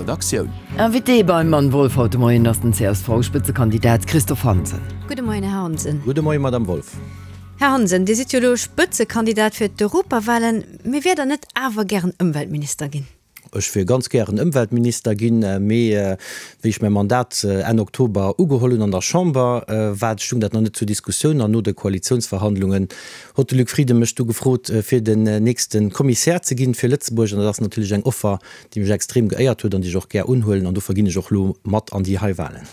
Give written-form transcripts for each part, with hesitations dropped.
Redaktioun. Invité beim Mann Wolff haut de Moien ass den CSV-Spëtzekandidat Christophe Hansen. Gudde Moien, Här Hansen. Gudde Moien, Madame Wolff. Här Hansen, Dir sidd jo elo Spëtzekandidat fir d'Europawahlen, mee wier Der net awer gären Ëmweltminister ginn? Ech wier ganz gären Ëmweltminister ginn, mee wéi ech mäi Mandat Enn Oktober ugeholl hunn an der Chamber, war, stung dat nach net zur Diskussioun an no de Koalitiounsverhandlungen hott de Luc Frieden mech du gefrot, fir den nächste Kommissär ze ginn fir Lëtzebuerg an dat ass natierlech eng Offer, déi mech extrem geéiert huet an déi ech och gär unhuelen an dofir ginn ech och elo mat an déi hei Wahlen.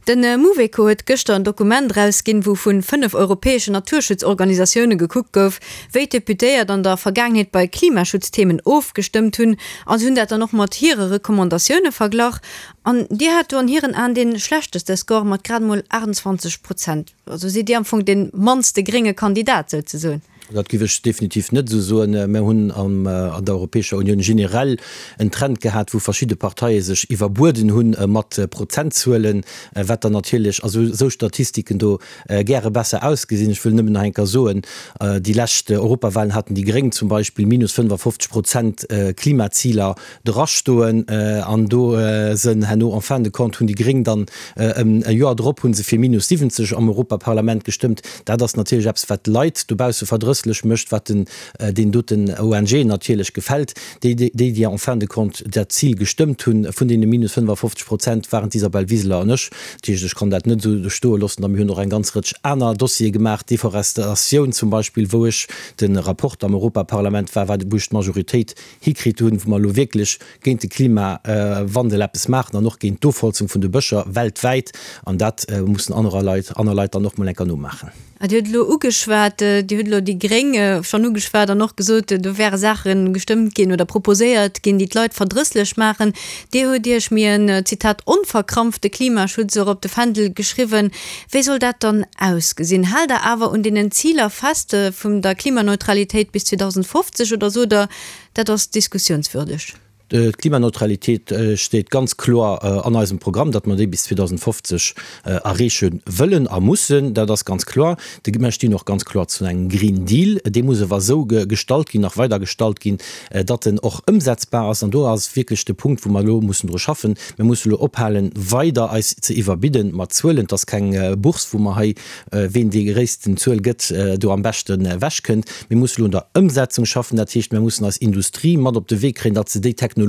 De Mouveco huet gëschter en Dokument erausginn, wou vun 5 europäeschen Naturschutzorganisatioune gekuckt gouf, wéi d'Deputéiert an der Vergaangenheet bei Klimaschutzthemen ofgestëmmt hunn. A se hunn dat dann och mat hire Recommandatioune verglach. An Dir hat do an hiren Aen dee schlechteste Score mat grad emol 28 Prozent. Also sidd Dir am Fong dee mannste grénge Kandidat souzesoen. Dat géif ech definitiv net esou soen. Mir hunn an der Europäescher Unioun generell en Trend gehat, wou verschidde Parteie sech iwwerbueden hu mat Prozentzuelen, wat dann natierlech a sou Statistiken do gäre besser ausgesinn. Ech wëll nëmmen nach eng Kéier soen, déi lescht Europawahlen haten déi Gréng zum Beispill minus 55 Prozent Klimaziler drastoen an do sënn herno en fin de compte hunn déi Gréng dann e Joer drop hu se fir minus 70 am Europaparlament gestëmmt. Dat ass natierlech eppes wat d'Leit dobausse verdrësslech mécht, wat den deen doten ONGen natierlech gefält. Déi déi déi en fin de compte dat Zil gestëmmt hunn vun deene minus 55 Prozent waren d'Isabel Wiseler an ech. Dat heescht ech kann dat net esou stoe loossen. A mir hunn och eng ganz Rëtsch aner Dossiere gemaach, Deforestatioun zum Beispill, wou ech de Rapporter am Europaparlament war, wou ech d'Majoritéit hikritt hunn, wou mer elo wierklech géint de Klimawandel eppes maachen an och géint d'Ofholzung vun de Bëscher weltwäit. An dat mussen anerer Leit, aner Leit dann och mol enker nomaachen. Dir hutt elo ugeschwat, Dir hutt elo déi Gréng schonn ugeschwat an och gesot, do wäre Saache gestëmmt ginn oder proposéiert ginn, déi d'Leit verdrësslech maachen. Dir hutt Iech méi en, Zitat, onverkrampfte Klimaschutz och op de Fändel geschriwwen. Wéi soll dat dann ausgesinn? Haalt Der awer un deenen Ziler fest vum der Klimaneutralitéit bis 2050 oder sot Der, dat ass diskussionswürdeg? D'Klimaneutralitéit steet ganz kloer an eisem Programm, datt mer déi bis 2050 erreeche wëllen a mussen. Dat ass ganz kloer. Mer stinn och ganz kloer zu engem Green Deal. Dee muss awer esou gestalt ginn, nach weider gestalt ginn, datt en och ëmsetzbar ass. An do ass wierklech de Punkt, wou mer elo mussen dru schaffen. Mir musse elo ophalen, weider eis ze iwwerbidden mat Zuelen. Et ass keng Bourse, wou mer hei, ween déi gréissten Zuel gëtt, do am beschten ewechkënnt. Mir musse elo un der Ëmsetzung schaffen. Dat heescht, mir mussen eis Industrie mat op de Wee kréien, datt se déi Technologië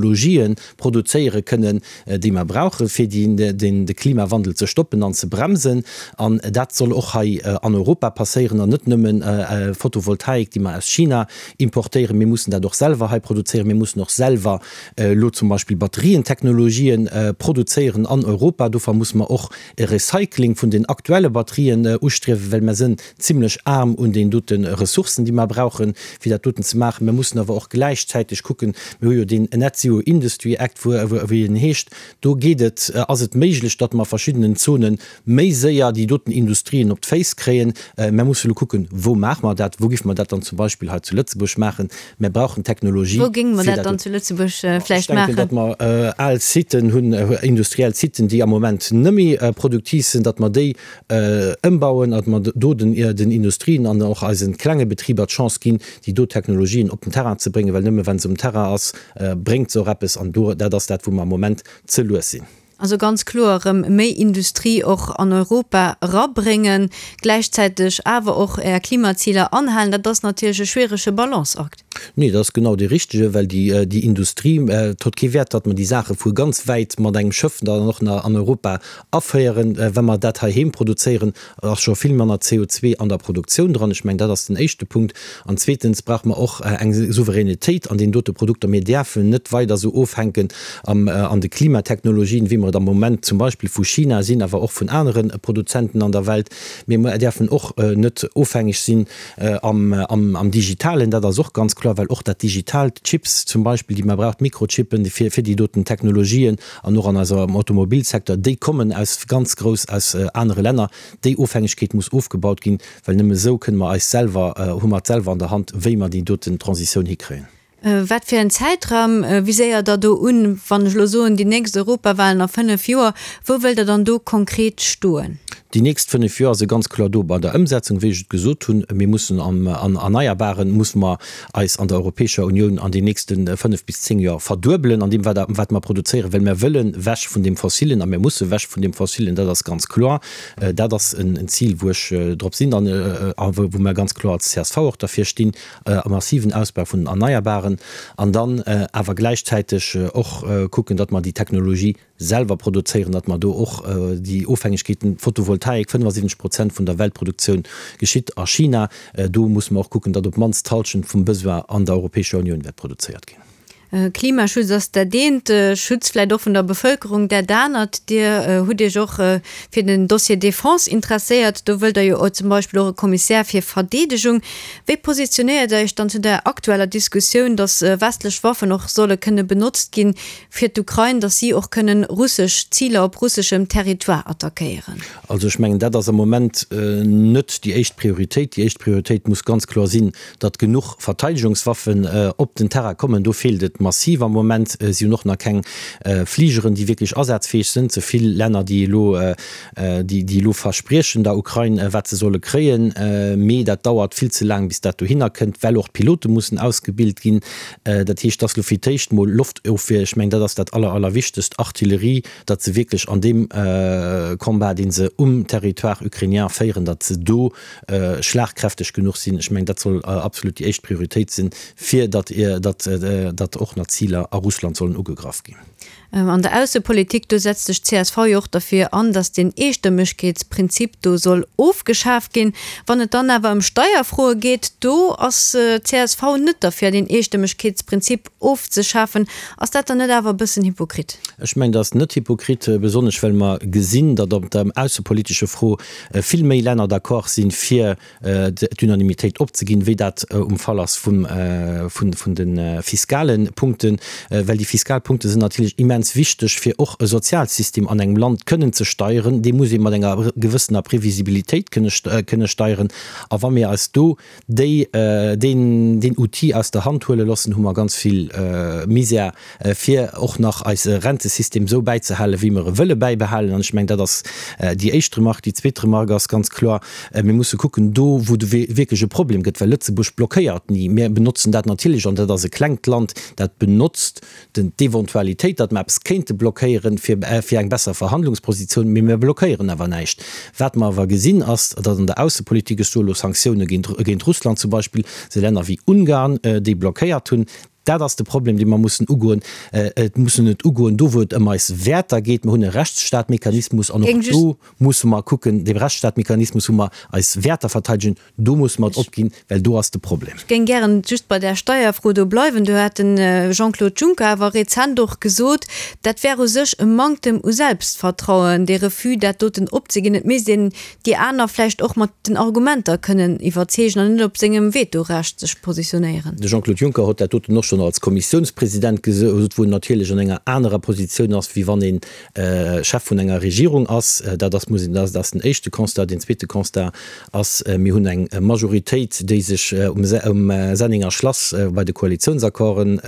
produzéiere kënnen, déi mer brauchen, fir de Klimawandel ze stoppen an ze bremsen. An dat soll och hei an Europa passéieren an net nëmmen Photovoltaik, déi mer aus China importéieren. Mir mussen dat och selwer hei produzéieren. Mir mussen och selwer elo zum Beispill Batterientechnologien produzéieren an Europa. Dofir musse mer och e Recycling vun den aktuelle Batterien ustriewen, well mer sënn zimlech aarm un deen dote Ressourcen, déi mer brauchen, fir dat doten ze maachen. Mer mussen awer och gläichzäiteg kucken, mir hu jo deen Net Zero Industry Act, wéi en heescht, do geet et, ass et méiglech, datt mer a verschiddenen Zonen méi séier déi doten Industrien op d'Féiss kréien. Mer musse elo kucken, wou maache mer dat, wou géife mer dat dann zum Beispill hei zu Lëtzebuerg maachen. Mer brauchen Technologie. Wou géinge mer dat dann zu Lëtzebuerg vläicht maachen? Ech denken, datt mer al Siten hunn, industriell Siten, déi am Moment net méi produktiv sinn, datt mer déi ëmbauen, datt mer do den Industrien an och eise klenge Betriber d'Chance ginn, déi do Technologien op den Terrain ze bréngen, well nëmme wa se um Terrain ass, bréngt se och eppes. An do, dat ass dat, wou mer am Moment ze lues sinn. Also ganz kloer erëm méi Industrie och an Europa erabréngen, gläichzäiteg awer och Är Klimaziler anhalen, dat ass natierlech e schwierege Balanceakt. Nee, dat ass genau dee richtege, well déi, déi Industrie, et huet kee Wäert, datt mer déi Saache vu ganz wäit mat engem Schëff dann och nach an Europa aféieren. Wa mer dat heiheem produzéieren, ass scho vill manner CO2 an der Produktioun dran. Ech mengen, dat ass den éischte Punkt. An zweetens brauche mer och eng Souveränitéit an deenen dote Produkter. Mir däerfen net weider esou ofhänken an de Klimatechnologien, wéi mer et am Moment zum Beispill vu China sinn, awer och vun anere Produzenten an der Welt. Mir däerfen och net ofhängeg sinn am Digitalen. Dat ass och ganz kloer, well och dat Digitaalt, d'Chips zum Beispill, déi mer brauchen, d'Mikrochippen fir déi doten Technologien, an och an eisem Automobilsecteur, déi kommen aus ganz grouss aus anere Länner. Déi Ofhängegkeet muss ofgebaut ginn, well nëmme esou kënne mer eis selwer, hu mer et selwer an der Hand, wéi mer déi doten Transitioun hikréien. Wat fir en Zäitraum viséiert Der do un? Wann ech elo soen, déi nächst Europawahlen a 5 Joer, wou wëllt Der dann do konkret stoen? Déi nächst 5 Joer si ganz kloer do bei der Ëmsetzung, wéi ech et gesot hunn. Mir mussen am an Erneierbaren musse mer eis an der Europäescher Unioun an den nächste 5 bis 10 Joer verduebelen an deem wat wat mer produzéieren, well mer wëllen wech vun deem Fossilen a mir musse wech vun deem Fossilen, dat ass ganz kloer. Dat ass en Zil, wou ech drop sinn an a wou mer ganz kloer als csv och derfir stinn, e massiven Ausbau vun den Erneierbaren an dann awer gläichzäiteg och kucken, datt mer déi Technologie selwer produzéieren, datt mer do och déi Ofhängegkeeten, Photovoltaik, 75 Prozent vun der Weltproduktioun geschitt a China, do musse mer och kucken, datt op d'mannst d'Hallschent vum Besoin an der Europäescher Unioun wäert produzéiert ginn. Klimaschutz ass dat eent, Schutz vläicht och vun der Bevëlkerung dat anert. Dir hutt Iech och fir den Dossier Defense interesséiert. Do wëllt Der jo zum Beispill och e Kommissär fir Verdeedegung. Wéi positionéiert Der Iech dann zu der aktueller Diskussioun, datt westlech Waffen och solle kënne benotzt ginn fir d'Ukrain, datt si och kënnen russesch Ziler op russeschem Territoire attackéieren? Also ech mengen, dat ass am Moment net déi éischt Prioritéit. Déi éischt Prioritéit muss ganz kloer sinn, datt genuch Verteidegungswaffen op den Terrain kommen. Do feelt et massiv am Moment. Si hunn och nach keng Fligeren, déi wierklech asazfäeg sinn. Ze vill Länner, déi elo, déi elo verspriechen der Ukrain, wat se solle kréien, mee dat dauert vill ze laang, bis dat dohinner kënnt, well och d'Pilote mussen ausgebilt ginn. Dat heescht, dass elo fir d'éischt mol Loftofwier, ech mengen, dat ass dat aller, allerwichtegst, Artillerie, datt se wierklech an deem Combat, dee se um Territoire ukrainien féieren, datt se do schlagkräfteg genuch sinn. Ech mengen, dat soll absolut déi éischt Prioritéit sinn, fir datt, datt, datt och nach Ziler a Russland sollen ugegraff ginn. An der Aussepolitik, do setzt sech d'CSV jo och derfir an, datt deen Eestëmmegkeetsprinzip do soll ofgeschaf ginn. Wann et dann awer ëm Steierfroe geet, do ass d'CSV net derfir, deen Eestëmmegkeetsprinzip ofzeschafen. Ass dat dann net awer e bëssen hypokrit? Ech mengen, dat ass net hypokrit, besonnesch well mer gesinn, datt op der aussepolitesche Fro vill méi Länner d'accord sinn, fir d'Unanimitéit opzeginn, wéi dat um Fall ass vum, vun de fiskale Punkten, well déi fiskal Punkte sinn natierlech immens wichteg, fir och e Sozialsystem an engem Land kënnen ze steieren. Dee muss ee mat enger gewëssener Previsibilitéit kënne, kënne steieren. A wa mir eis do déi, deen, deen Outil aus der Hand huele loossen, hu mer ganz vill Misär fir och nach eise Rentesystem esou bäizehalen, wéi mer e wëlle bäibehalen. An ech mengen, dat ass déi éischt Remarque. Déi zweet Remarque ass ganz kloer, Mir musse kucken, do wou et wierklech e Problem gëtt, well Lëtzebuerg blockéiert ni. Mir benotzen dat natierlech, an dat ass e klengt Land, dat benotzt d'Eventualitéit, datt mer eppes kéinte blockéieren, fir eng besser Verhandlungspositioun, mee mir blockéieren awer näischt. Wat mer awer gesinn, ass, datt an der Aussepolitik, ech soe elo Sanktioune géint Russland zum Beispill, se Länner wéi Ungarn déi blockéiert hunn. Dat ass de Problem, dee mer mussen ugoen. Et mussen et ugoen do, wou et ëm eis Wäerter geet. Mer hunn e Rechtsstaatmechanismus an och do musse mer kucken, dee Rechtsstaatmechanismus, wou mer eis Wäerter verteidegen, do musse mer et opginn, well do ass de Problem. Ech géing gären just bei där Steierfro do bleiwen. Do hat de Jean-Claude Juncker awer rezent och gesot, dat wär u sech e Manktem u Selbstvertrauen, dee Refus, dat doten opzeginn. Et misst een déi aner vläicht och mat den Argumenter kënnen iwwerzeegen an net op sengem Vetorecht sech positionéieren. De Jean-Claude Juncker hott dat doten och schonn als Kommissiounspresident gesot, wou en natierlech an enger anerer Positioun ass, wéi wann ee Chef vun enger Regierung ass. Dat ass, muss een, dat ass den éischte Constat. Deen zweete Constat ass, mir hunn eng Majoritéit, déi sech um Sennenger Schlass bei de Koalitiounsaccorden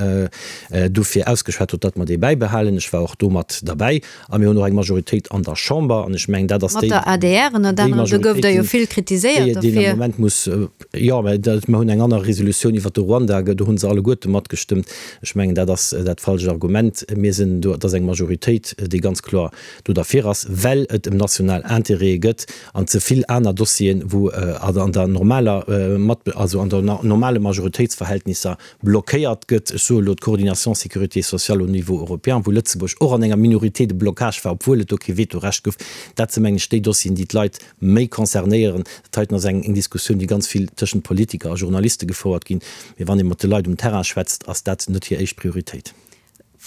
dofir ausgeschwat huet, datt mer déi bäibehalen. Ech war och do mat derbäi. A mir hunn och eng Majoritéit an der Chamber, an ech mengen, dat ass déi Mat der adr ënnert anerem, do gouf Der jo vill kritiséiert dofir. Déi am Moment muss, jo, mä mir hunn eng aner Resolutioun iwwert de Ruanda, do hu se alleguerte matgestëmmt. Ech mengen, dat ass dat falscht Argument. Mir sinn do, et ass eng Majoritéit, déi ganz kloer do derfir ass, well et ëm national Intérêtë gëtt an ze vill aner Dossieren, wou an der normaler Mat, also an der normale Majoritéitsverhältnisser blockéiert gëtt, ech soe elo d'Coordination sécurité sociale au niveau européen, wou Lëtzebuerg och an enger Minorité de blocage war, obwuel et do kee Vetorecht gouf, dat si mengen ech déi Dossieren, déi d'Leit méi concernéieren. Dat heiten ass eng Diskussioun, déi ganz vill tëschent Politiker a Journaliste gefouert ginn, mee wann ee mat de Leit um Terrain schwätzt, ass dat net hir éischt Prioritéit.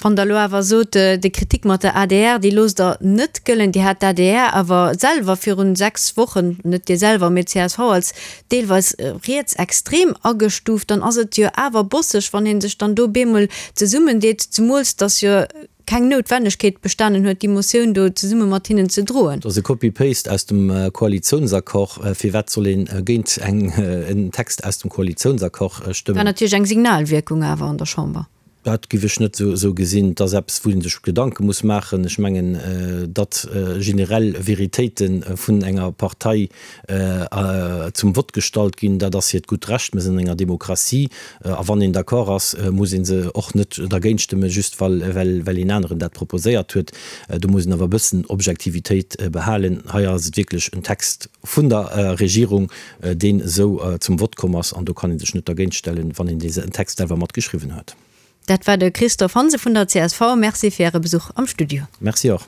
Wann Der elo awer sot, déi Kritik mat der adr, déi loosst Der net gëllen, Dir hat d'ADR awer selwer virun 6 Wochen, net Dir selwer, mee d'CSV, als deelweis rietsextrem agestuuft, dann ass et jo awer bosseg, wann ee sech dann do bemol zesummendeet, zemools datt jo keng Noutwennegkeet bestanen huet, déi Motioun do zesumme mat hinnen ze droen. Dat ass e Copy-Paste aus dem Koalitiounsaccord. Firwat soll ee géint en Text aus dem Koalitiounsaccord stëmmen? War natierlech eng Signalwierkung awer an der Chamber. Dat giff ech net esou gesinn. Et ass eppes, wou ee sech Gedanke muss maachen. Ech mengen, datt generell Veritéite vun enger Partei zum Vott gestallt ginn, dat ass hiert gutt Recht. Mir sinn an enger Demokratie a wann een d'accord ass, muss ee se och net dergéint stëmmen, just well een aneren dat proposéiert huet. Do muss een awer e bëssen Objektivitéit behalen. Hei ass et wierklech en Text vun der Regierung, deen esou zum Vott komm ass, an do kann ee sech net dergéint stellen, wann een dee Text selwer mat geschriwwen huet. Dat war de Christophe Hansen vun der csv. Merci fir Äre Besuch am Studio. Merci och.